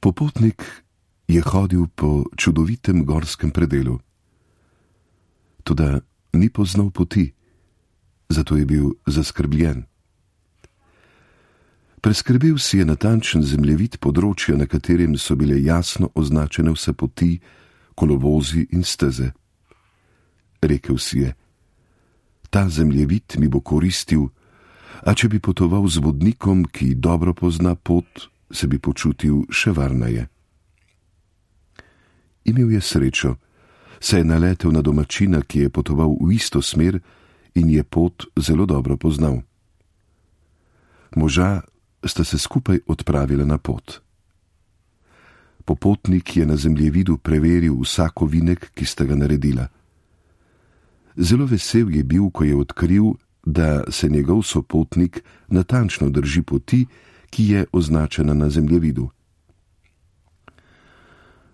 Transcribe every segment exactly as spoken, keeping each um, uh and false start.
Popotnik je hodil po čudovitem gorskem predelu. Toda ni poznal poti, zato je bil zaskrbljen. Preskrbel si je natančen zemljevid področja, na katerem so bile jasno označene vse poti, kolovozi in steze. Rekel si je: ta zemljevid mi bo koristil, a če bi potoval z vodnikom, ki dobro pozna pot, se bi počutil še varneje. Imel je srečo, saj je naletel na domačina, ki je potoval v isto smer in je pot zelo dobro poznal. Moža sta se skupaj odpravila na pot. Popotnik je na zemljevidu preveril vsak ovinek, ki sta ga naredila. Zelo vesel je bil, ko je odkril, da se njegov sopotnik natančno drži poti, ki je označena na zemljevidu.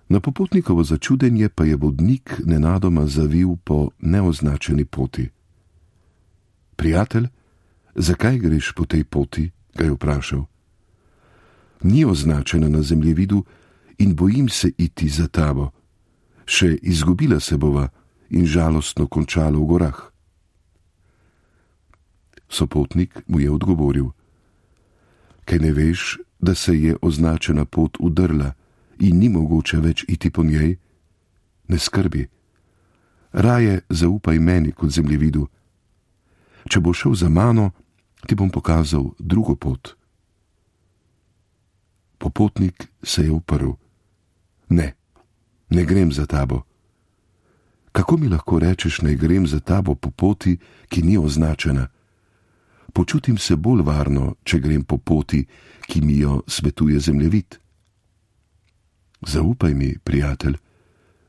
Na popotnikovo začudenje pa je vodnik nenadoma zavil po neoznačeni poti. Prijatelj, zakaj greš po tej poti? Ga je vprašal. Ni označena na zemljevidu in bojim se iti za tabo. Še izgubila se bova in žalostno končala v gorah. Sopotnik mu je odgovoril: kaj ne veš, da se je označena pot udrla in ni mogoče več iti po njej? Ne skrbi. Raje zaupaj meni kot zemljevidu. Če bo šel za mano, ti bom pokazal drugo pot. Popotnik se je uprl. Ne, ne grem za tabo. Kako mi lahko rečeš, naj grem za tabo po poti, ki ni označena? Počutim se bolj varno, če grem po poti, ki mi jo svetuje zemljevid. Zaupaj mi, prijatelj,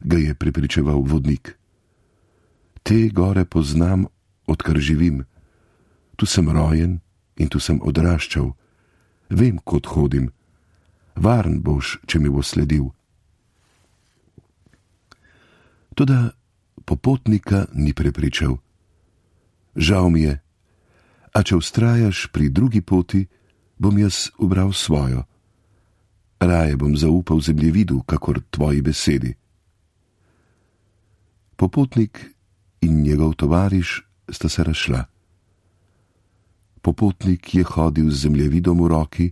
ga je prepričeval vodnik. Te gore poznam, odkar živim. Tu sem rojen in tu sem odraščal. Vem, kod hodim. Varen boš, če mi bo sledil. Toda popotnika ni prepričal. Žal mi je, a če vztrajaš pri drugi poti, bom jaz ubral svojo. Raje bom zaupal zemljevidu, kakor tvoji besedi. Popotnik in njegov tovariš sta se razšla. Popotnik je hodil z zemljevidom v roki,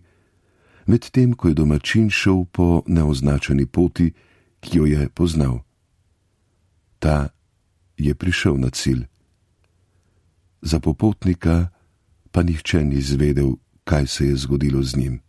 medtem ko je domačin šel po neoznačeni poti, ki jo je poznal. Ta je prišel na cilj. Za popotnika pa nihče ni izvedel, kaj se je zgodilo z njim.